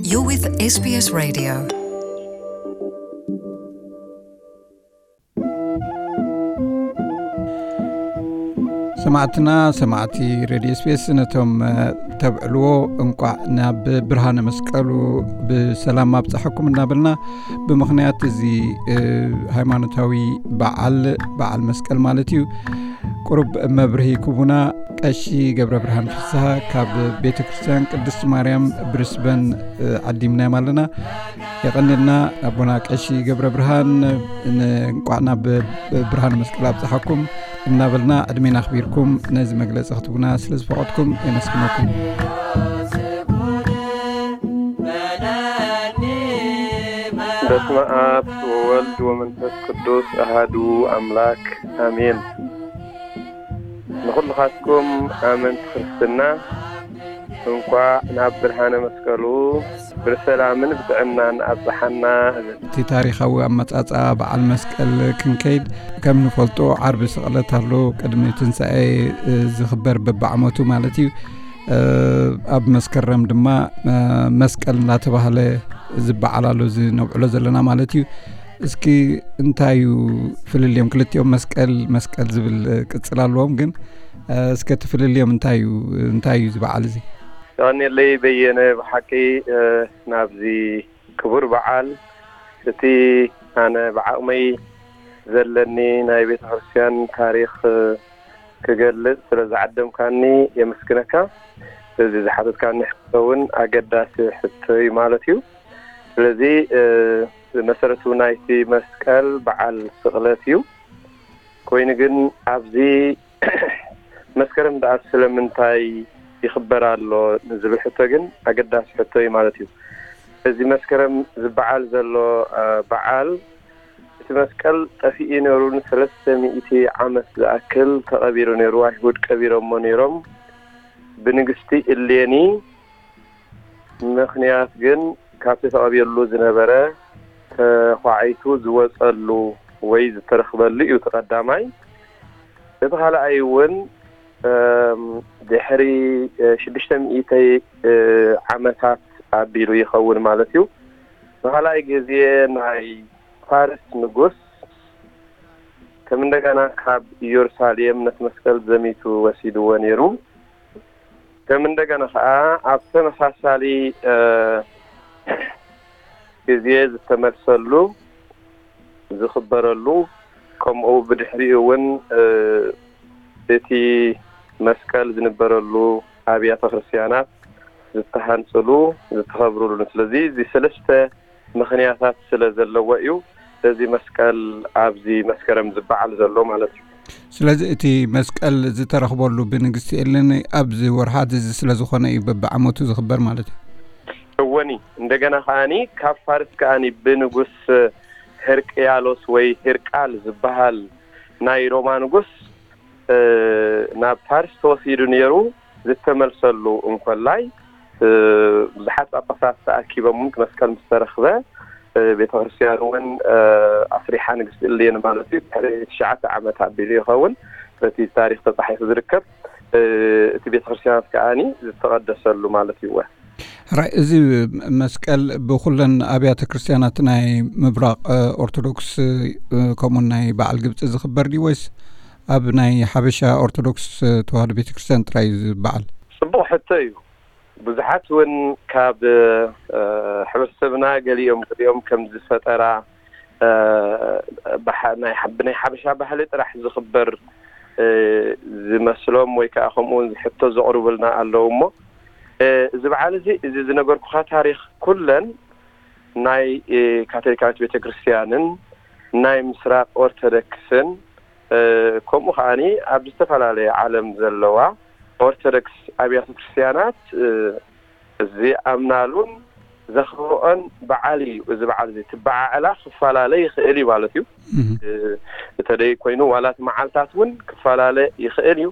You're with S B S Radio. ሰማዕትና፣ ሰማዕቲ ሬድዮ ኤስቢኤስ፣ ነቶም፣ እ፣ ተብዕልዎ እንቋዕ ናብ ብርሃነ መስቀሉ ብሰላም ኣብፀሐኩም እናበልና፣ ብምኽንያት እዚ፣ እ፣ ሃይማኖታዊ በዓል፣ በዓል መስቀል ማለት እዩ፣ ቁሩብ መብርሂ ክቡና ቀሺ ገብረ ብርሃን ፍስሃ ካብ ቤተ ክርስቲያን ቅድስት ማርያም ብሪስበን፣ እ፣ ዓዲምናዮም ኣለና። የቐንልና ኣቦና ቀሺ ገብረ ብርሃን። ን-፣ እንቋዕ ናብ ብርሃን መስቀል ኣብፀሓኩም እናበልና፣ ዕድሜና ኣኽቢርኩም ነዚ መግለፂ ክትቡና ስለ ዝፈቐድኩም የመስግነኩም። በስመ አብ ወወልድ ወመንፈስ ቅዱስ አሃዱ አምላክ አሜን። ንኹልኻትኩም ኣመንቲ ክርስትና እንኳዕ ናብ ብርሃነ መስቀሉ ብሰላምን ብጥዕናን ኣብጽሓና እብል። እቲ ታሪኻዊ ኣመጻጽኣ በዓል መስቀል ክንከይድ፣ ከም ንፈልጦ ዓርቢ ስቕለት ኣሎ። ቅድሚ ትንሳኤ፣ እ፣ ዝኽበር በብዓመቱ ማለት እዩ። እ፣ ኣብ መስከረም ድማ፣ እ፣ መስቀል እናተባህለ ዝበዓል ኣሎ፣ እዚ ነብዕሎ ዘለና ማለት እዩ። እስኪ እንታይ እዩ ፍልልዮም? ክልቲኦም መስቀል፣ መስቀል ዝብል፣ እ፣ ቅጽል ኣለዎም፣ ግን፣ እ፣ እስከ እቲ ፍልልዮም እንታይ እዩ? እንታይ እዩ እዚ በዓል እዚ? የቐንየለይ በየነ፣ ብሓቂ፣ እ፣ ናብዚ ክቡር በዓል፣ እቲ ኣነ ብዓቕመይ ዘለኒ ናይ ቤተ ክርስቲያን ታሪኽ፣ እ፣ ክገልጽ ስለ ዝዓደምካኒ የመስግነካ። እዚ ዝሓተትካኒ ሕቶ እውን ኣገዳሲ ሕቶ እዩ ማለት እዩ። ስለዚ፣ እ፣ መሰረቱ ናይቲ መስቀል በዓል ስቕለት እዩ። ኮይኑ ግን ኣብዚ መስከረም ደኣ ስለምንታይ ይኽበር ኣሎ ንዝብል ሕቶ ግን ኣገዳሲ ሕቶ እዩ ማለት እዩ። እዚ መስከረም ዝበዓል ዘሎ፣ እ፣ በዓል፣ እቲ መስቀል ጠፊኡ ነይሩ፣ ንሰለስተ ሚእቲ ዓመት ዝኣክል ተቐቢሩ ነይሩ፣ ኣይሁድ ቀቢሮሞ ነይሮም። ብንግስቲ እሌኒ ምኽንያት ግን ካብቲ ተቐቢርሉ ዝነበረ ተዃዒቱ ዝወጸሉ ወይ ዝተረኽበሉ እዩ እቲ ቀዳማይ። እቲ ካልኣይ እውን፣ እም፣ ድሕሪ፣ እ፣ ሽዱሽተ ሚእቲ፣ እ፣ ዓመታት ኣቢሉ ይኸውን ማለት እዩ። ንኻልኣይ ግዜ ናይ ፋርስ ንጉስ ከም እንደገና ካብ ኢየሩሳሌም ነቲ መስቀል ዘሚቱ ወሲድዎ ነይሩ። ከም እንደገና ኸዓ ኣብ ተመሳሳሊ፣ እ፣ ግዜ ዝተመልሰሉ፣ ዝኽበረሉ፣ ከምኡ ብድሕሪኡ እውን፣ እ፣ እቲ መስቀል ዝንበረሉ ኣብያተ ክርስቲያናት ዝተሃንፅሉ፣ ዝተኸብሩሉ። ስለዚ እዚ ሰለስተ ምኽንያታት ስለ ዘለዎ እዩ እዚ መስቀል ኣብዚ መስከረም ዝበዓል ዘሎ ማለት እዩ። ስለዚ እቲ መስቀል ዝተረኽበሉ ብንግስቲ ኤሌኒ ኣብዚ ወርሓት እዚ ስለ ዝኾነ እዩ በብዓመቱ ዝኽበር ማለት እዩ። እወኒ፣ እንደገና ከኣኒ ካብ ፋርስ ከኣኒ ብንጉስ ህርቅያሎስ ወይ ህርቃል ዝበሃል ናይ ሮማ ንጉስ፣ እ፣ ናብ ፋርስ ተወሲዱ ነይሩ። ዝተመልሰሉ እንኮላይ፣ እ፣ ብዙሓት ጳጳሳት ተኣኪቦም እውን መስቀል ምስ ተረኽበ፣ እ፣ ቤተ ክርስቲያን እውን፣ እ፣ ኣስሪሓ ንግስቲ እሌኒ ማለት እዩ። ድሕሪ ትሽዓተ ዓመት ኣቢሉ ይኸውን በቲ ታሪኽ ተጻሒፉ ዝርከብ። እ፣ እቲ ቤተ ክርስቲያናት ከኣኒ ዝተቐደሰሉ ማለት እዩ። ራይ፣ እዚ መስቀል ብኹለን ኣብያተ ክርስቲያናት ናይ ምብራቕ፣ እ፣ ኦርቶዶክስ፣ እ፣ ከምኡን ናይ በዓል ግብፂ ዝኽበር ድዩ ወይስ ኣብ ናይ ሓበሻ ኦርቶዶክስ፣ እ፣ ተዋህዶ ቤተ ክርስቲያን ጥራይ እዩ ዝበዓል? ጽቡቕ ሕቶ እዩ። ብዙሓት እውን ካብ፣ እ፣ ሕብረተሰብና ገሊኦም ገሊኦም ከም ዝፈጠራ፣ እ፣ ብሓ-፣ ናይ ሓ-፣ ብናይ ሓበሻ ባህሊ ጥራሕ ዝኽበር፣ እ፣ ዝመስሎም ወይ ከዓ ከምኡ እውን ሕቶ ዘቕርቡልና ኣለዉ እሞ፣ እ፣ እዚ በዓል እዚ፣ እዚ ዝነገርኩኻ ታሪኽ ኩለን ናይ፣ እ፣ ካቶሊካዊት ቤተ ክርስቲያንን ናይ ምስራቕ ኦርቶዶክስን፣ እ፣ ከምኡ ከኣኒ ኣብ ዝተፈላለየ ዓለም ዘለዋ ኦርቶዶክስ ኣብያተ ክርስቲያናት፣ እ፣ ዝኣምናሉን ዘኽብርኦን በዓል እዩ። እዚ በዓል እዚ ትበዓዕላ ክፈላለ ይኽእል እዩ ማለት እዩ። እህ። እ፣ እተደይ ኮይኑ ዋላ እቲ መዓልታት እውን ክፈላለ ይኽእል እዩ።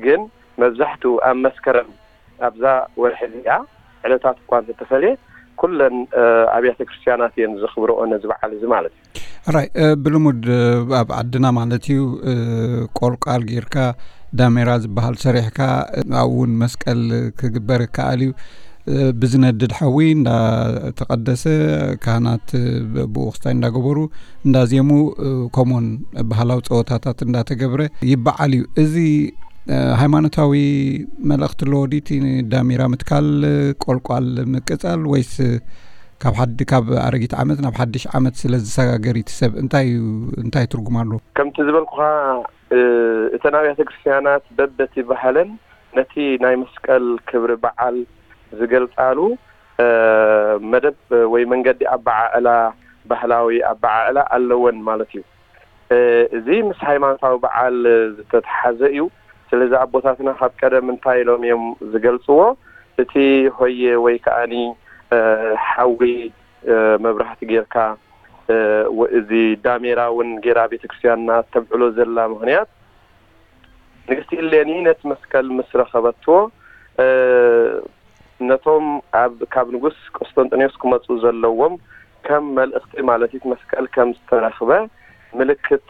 ግን መብዛሕትኡ ኣብ መስከረም ኣብዛ ወርሒ እዚኣ ዕለታት እኳ እንተተፈልየ፣ ኩለን፣ እ፣ ኣብያተ ክርስቲያናት እየን ዘኽብርኦ ነዚ በዓል እዚ ማለት እዩ። ራይ፣ እ፣ ብልሙድ፣ እ፣ ኣብ ዓድና ማለት እዩ፣ እ፣ ቆልቋል ጌርካ ዳሜራ ዝበሃል ሰሪሕካ፣ እ፣ ኣብኡ እውን መስቀል ክግበር ይከኣል እዩ። ብዝነድድ ሓዊ እንዳተቐደሰ፣ ካህናት ብኡ ክስታይ እንዳገበሩ እንዳዜሙ፣ ከምኡውን ባህላዊ ፀወታታት እንዳተገብረ ይበዓል እዩ። እዚ ሃይማኖታዊ መልእኽቲ ኣለዎ ድዩ እቲ ዳሜራ ምትካል፣ ቆልቋል ምቅፃል፣ ወይስ ካብ ሓዲ ካብ ኣረጊት ዓመት ናብ ሓድሽ ዓመት ስለ ዝሰጋገር እቲ ሰብ እንታይ እዩ፣ እንታይ ትርጉም ኣለዎ? ከምቲ ዝበልኩኻ፣ እተን ኣብያተ ክርስቲያናት በበቲ ባህለን ነቲ ናይ መስቀል ክብሪ በዓል ዝገልጻሉ መደብ ወይ መንገዲ ኣበዓዕላ፣ ባህላዊ ኣበዓዕላ ኣለወን ማለት እዩ። እዚ ምስ ሃይማኖታዊ በዓል ዝተተሓዘ እዩ። ስለዚ ኣቦታትና ካብ ቀደም እንታይ ኢሎም እዮም ዝገልጽዎ? እቲ ሆየ ወይ ከኣኒ ሓዊ መብራህቲ ጌርካ፣ እዚ ዳሜራ እውን ጌራ ቤተክርስትያንና ተብዕሎ ዘላ ምኽንያት፣ ንግስቲ እሌኒ ነቲ መስቀል ምስ ረኸበትዎ፣ ነቶም ኣብ፣ ካብ ንጉስ ቆስጠንጢኖስ ክመጹ ዘለዎም ከም መልእኽቲ ማለት እቲ መስቀል ከም ዝተረኽበ ምልክት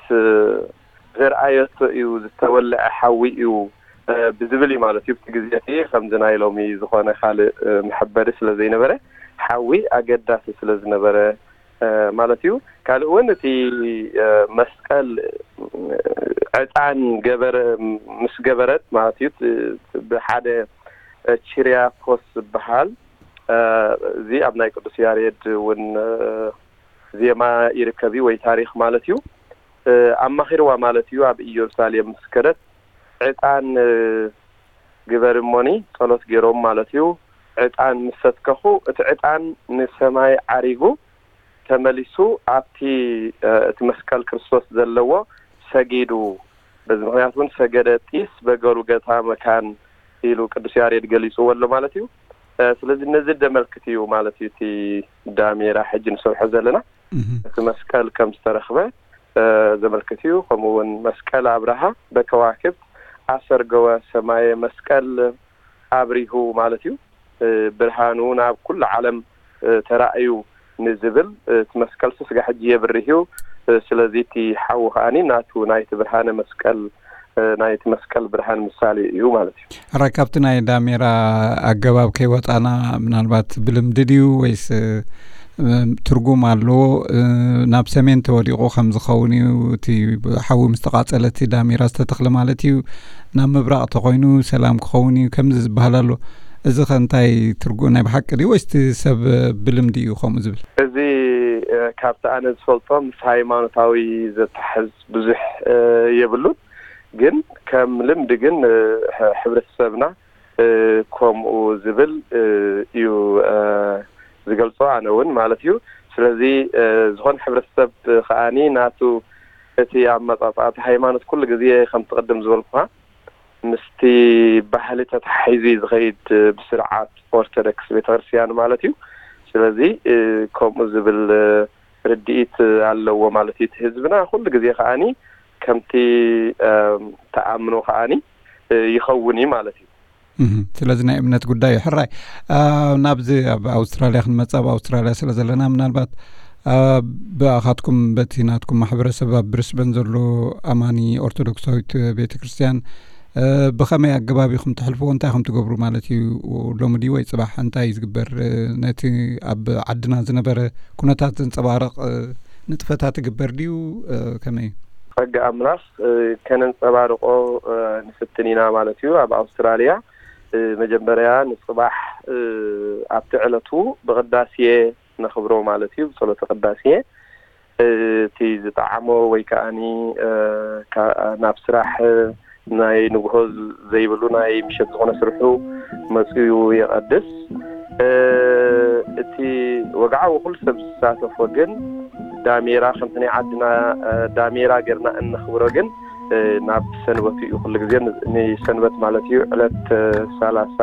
ዘርኣየቶ እዩ። ዝተወልዐ ሓዊ እዩ ብዝብል እዩ ማለት እዩ። ኣብቲ ግዜ እቲ ከምዚ ናይ ሎሚ ዝኾነ ካልእ መሐበሪ ስለ ዘይነበረ፣ ሓዊ ኣገዳሲ ስለ ዝነበረ ማለት እዩ። ካልእ እውን እቲ መስቀል ዕጣን ገበረ፣ ምስ ገበረት ማለት እዩ፣ ብሓደ ቺርያኮስ ዝበሃል፣ እዚ ኣብ ናይ ቅዱስ ያሬድ እውን ዜማ ይርከብ እዩ፣ ወይ ታሪኽ ማለት እዩ። ኣማኺርዋ ማለት እዩ። ኣብ ኢየሩሳሌም ምስ ከደት ዕጣን ግበር እሞኒ፣ ጸሎት ገይሮም ማለት እዩ። ዕጣን ምስ ሰትከኹ፣ እቲ ዕጣን ንሰማይ ዓሪጉ ተመሊሱ ኣብቲ እቲ መስቀል ክርስቶስ ዘለዎ ሰጊዱ። በዚ ምኽንያት እውን ሰገደ ጢስ በገሩ ገታ መካን ኢሉ ቅዱስ ያሬድ ገሊጽዎ ኣሎ ማለት እዩ። ስለዚ ነዚ ደመልክት እዩ ማለት እዩ እቲ ዳሜራ ሕጂ ንሰርሖ ዘለና። እቲ መስቀል ከም ዝተረኽበ ዘመልክት እዩ። ከምኡ እውን መስቀል ኣብርሃ በከዋክብት ኣሰርገወ ሰማየ፣ መስቀል ኣብሪሁ ማለት እዩ። ብርሃኑ ናብ ኩሉ ዓለም ተራእዩ ንዝብል፣ እቲ መስቀል ስጋ ሕጂ የብርህ እዩ። ስለዚ እቲ ሓዊ ከኣኒ ናቱ ናይቲ ብርሃነ መስቀል፣ ናይቲ መስቀል ብርሃን ምሳሌ እዩ ማለት እዩ። ሕራይ፣ ካብቲ ናይ ዳሜራ ኣገባብ ከይወፃና፣ ምናልባት ብልምዲ ድዩ ወይስ ትርጉም ኣለዎ? ናብ ሰሜን ተወዲቑ ከም ዝኸውን እዩ፣ እቲ ሓዊ ምስ ተቓፀለ እቲ ዳሜራ ዝተተኽለ ማለት እዩ። ናብ ምብራቕ ተኾይኑ ሰላም ክኸውን እዩ ከምዚ ዝበሃል ኣሎ። እዚ ኸ እንታይ ትርጉም፣ ናይ ብሓቂ ድዩ ወይስ እቲ ሰብ ብልምዲ እዩ ከምኡ ዝብል? እዚ ካብቲ ኣነ ዝፈልጦ ምስ ሃይማኖታዊ ዘተሓዝ ብዙሕ የብሉን። ግን ከም ልምዲ ግን ሕብረተሰብና ከምኡ ዝብል እዩ ዝገልጾ፣ ኣነ እውን ማለት እዩ። ስለዚ ዝኾነ ሕብረተሰብ ከኣኒ ናቱ እቲ ኣመጻጽኣ፣ እቲ ሃይማኖት ኩሉ ግዜ ከምቲ ቅድም ዝበልኩኻ ምስቲ ባህሊ ተተሓሒዙ እዩ ዝኸይድ፣ ብስርዓት ኦርቶዶክስ ቤተክርስትያን ማለት እዩ። ስለዚ ከምኡ ዝብል ርድኢት ኣለዎ ማለት እዩ። እቲ ህዝብና ኩሉ ግዜ ከኣኒ ከምቲ ተኣምኖ ከኣኒ ይኸውን እዩ ማለት እዩ። ስለዚ ናይ እምነት ጉዳይ እዩ። ሕራይ፣ ናብዚ ኣብ ኣውስትራልያ ክንመጽእ፣ ኣብ ኣውስትራልያ ስለ ዘለና፣ ምናልባት ብኣኻትኩም፣ በቲ ናትኩም ማሕበረሰብ ኣብ ብሪስበን ዘሎ ኣማኒ ኦርቶዶክሳዊት ቤተ ክርስቲያን ብኸመይ ኣገባብ ኢኹም ተሕልፍዎ? እንታይ ኢኹም ትገብሩ ማለት እዩ? ሎሚ ድዩ ወይ ጽባሕ እንታይ እዩ ዝግበር? ነቲ ኣብ ዓድና ዝነበረ ኩነታት ዘንጸባርቕ ንጥፈታት ይግበር ድዩ? ከመይ እዩ? ጸጋ ኣምላኽ ከነንጸባርቆ ንፍትን ኢና ማለት እዩ። ኣብ ኣውስትራልያ መጀመርያ ንጽባሕ ኣብቲ ዕለቱ ብቕዳሴ ነኽብሮ ማለት እዩ፣ ብጸሎተ ቅዳሴ። እቲ ዝጠዓሞ ወይ ከኣኒ ናብ ስራሕ ናይ ንግሆ ዘይብሉ ናይ ምሸት ዝኾነ ስርሑ መፅዩ የቐድስ። እቲ ወግዓዊ ኩሉ ሰብ ዝሳተፎ ግን ዳሜራ ከምቲ ናይ ዓድና ዳሜራ ጌርና እነኽብሮ ግን ናብ ሰንበት እዩ። ኩሉ ግዜ ንሰንበት ማለት እዩ፣ ዕለት ሰላሳ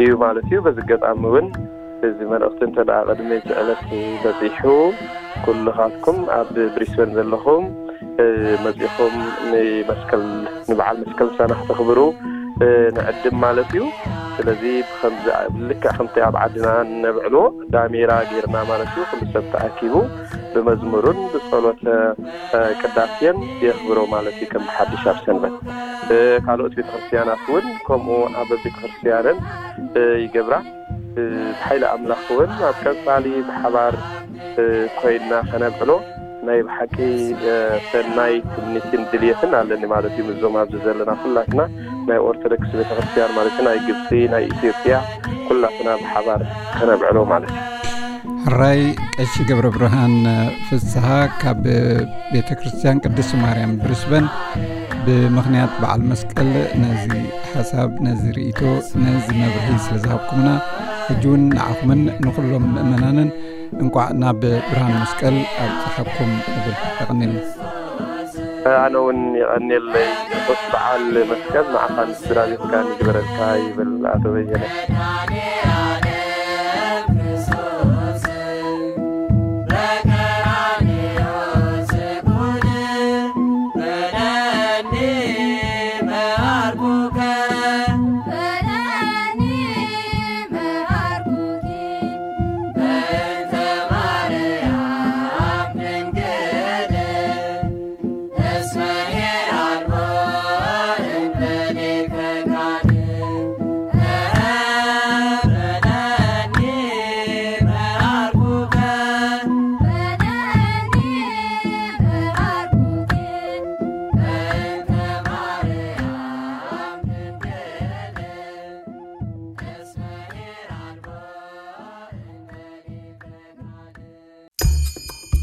እዩ ማለት እዩ። በዚ ኣጋጣሚ እውን እዚ መልእኽቲ እንተ ደኣ ቅድሚ እቲ ዕለት በጺሑ፣ ኩልኻትኩም ኣብ ብሪስበን ዘለኹም መጺኹም ንመስቀል፣ ንበዓል መስቀል ምሳና ክተኽብሩ ንዕድም ማለት እዩ። ስለዚ ብከምዚ ልክዕ ከምቲ ኣብ ዓድና ነብዕሎ ዳሜራ ጌርና ማለት እዩ። ኩሉ ሰብ ተኣኪቡ ብመዝሙርን ብጸሎተ ቅዳሴን የኽብሮ ማለት እዩ፣ ከም ብሓድሽ ኣብ ሰንበት። ካልኦት ቤተክርስትያናት እውን ከምኡ ኣብ ቤተክርስትያንን ይገብራ። ብሓይሊ ኣምላኽ እውን ኣብ ቀጻሊ ብሓባር ኮይንና ከነብዕሎ ናይ ብሓቂ ሰናይ ትምኒትን ድልየትን ኣለኒ ማለት እዩ። ምስዞም ኣብዚ ዘለና ኩላትና ናይ ኦርቶዶክስ ቤተክርስትያን ማለት እዩ፣ ናይ ግብፂ፣ ናይ ኢትዮጵያ፣ ኩላትና ብሓባር ከነብዕሎ ማለት እዩ። ሕራይ ቀሺ ገብረ ብርሃን ፍስሃ ካብ ቤተ ክርስቲያን ቅድስት ማርያም ብሪስበን፣ ብምኽንያት በዓል መስቀል ነዚ ሓሳብ፣ ነዚ ርእይቶ፣ ነዚ መብርሂ ስለ ዝሃብኩምና፣ ሕጂ እውን ንዓኹምን ንኹሎም ምእመናንን እንቋዕ ናብ ብርሃን መስቀል ኣብጽሓኩም እብል። የቐንየልና። ኣነ እውን የቐንየለይ። ርሑስ በዓል መስቀል ንዓኻን ስድራ ቤትካን ይግበረልካ ይብል ኣቶ በየነ።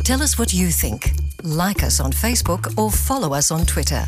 Tell us what you think. Like us on Facebook or follow us on Twitter.